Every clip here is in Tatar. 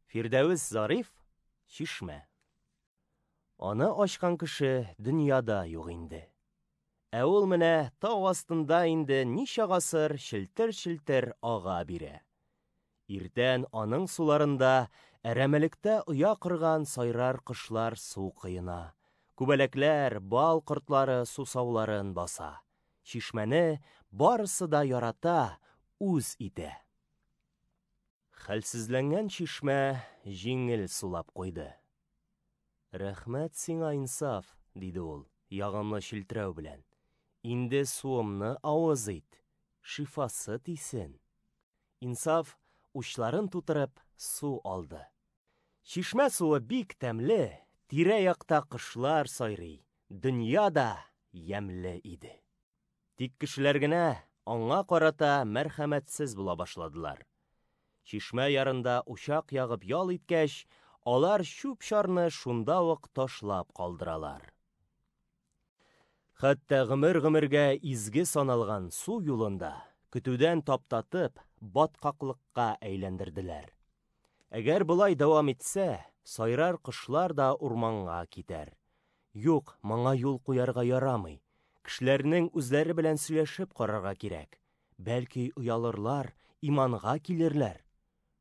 Фирдәвес Зариф, Чишмә. Аны ачкан кеше дөньяда юк инде. Ә ул менә тау астында инде ничә гасыр челтер-челтер ага бирә. Иртән аның суларында әрәмәлектә оя корган сайрар кошлар су коена, күбәләкләр, бал кортлары сусауларын баса. Чишмәне барысы да ярата, үз итә. Хәлсезләнгән чишмә җиңел сулап куйды. Рәхмәт сиңа, Инсаф, диде ул, ягымлы челтерәү белән. Инде суымны авыз ит, шифасы тисен. Инсаф, учларын тутырып, су алды. Чишмә суы бик тәмле, тирә-якта кошлар сайрый, дөнья да ямьле иде. Тик кешеләр генә аңа карата мәрхәмәтсез була башладылар. Чишмә ярында учак ягып ял иткәч, алар чүп-чарны шунда ук ташлап калдыралар. Хәтта гомер-гомергә изге саналган су юлын да көтүдән таптатып, баткаклыкка әйләндерделәр. Әгәр болай дәвам итсә, сайрар кошлар да урманга китәр. Юк, моңа юл куярга ярамый. Кешеләрнең үзләре белән сөйләшеп карарга кирәк. Бәлки, оялырлар, иманга килерләр.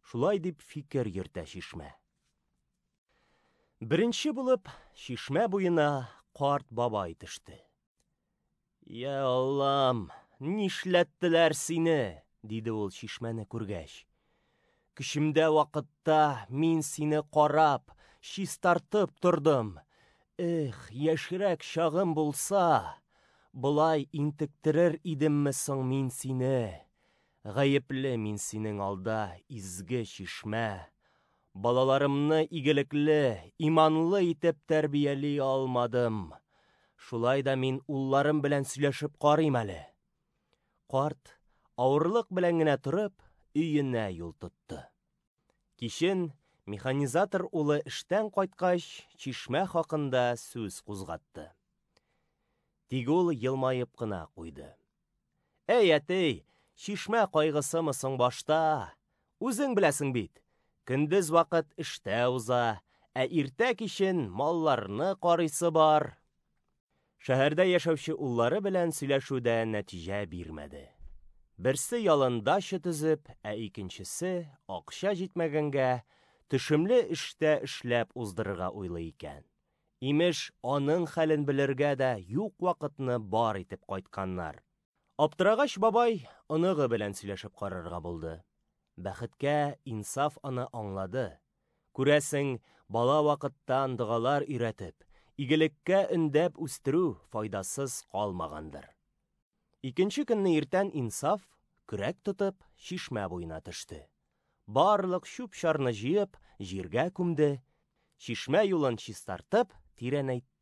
Шулай дип фикер йөртә чишмә. Беренче булып чишмә буена карт бабай төште. Йә Аллам, нишләттеләр сине? диде ул чишмәне күргәч. Көчемдә вакытта мин сине карап, чистартып тордым. Эх, яшьрәк чагым булса, болай интектерер идемме соң мин сине? Гаепле мин синең алда, изге чишмә. Балаларымны игелекле, иманлы итеп тәрбияли алмадым. Шулай да мин улларым белән сөйләшеп карыйм әле. Карт, авырлык белән генә торып, өенә юл тотты. Кичен механизатор улы эштән кайткач, чишмә хакында сүз кузгатты. Тик ул елмаеп кына куйды. Әй, әти, чишмә кайгысымы соң башта? Үзең беләсең бит, көндез вакыт эштә уза, ә иртә кичен малларны карыйсы бар. Шәһәрдә яшәүче уллары белән сөйләшү дә нәтиҗә бирмәде. Берсе ялын дача төзеп, ә икенчесе, акча җитмәгәнгә, төшемле эштә эшләп уздырырга уйлый икән. Имеш, аның хәлен белергә дә юк вакытны бар итеп кайтканнар. Аптырагач бабай оныгы белән сөйләшеп карарга булды. Бәхеткә, Инсаф аны аңлады. Күрәсең, бала вакыттан догалар өйрәтеп, игелеккә өндәп үстерү файдасыз калмагандыр. Икенче көнне иртән Инсаф, көрәк тотып, чишмә буена төште. Барлык чүп-чарны җыеп, җиргә күмде, чишмә юлын чистартып, тирәнәйтте.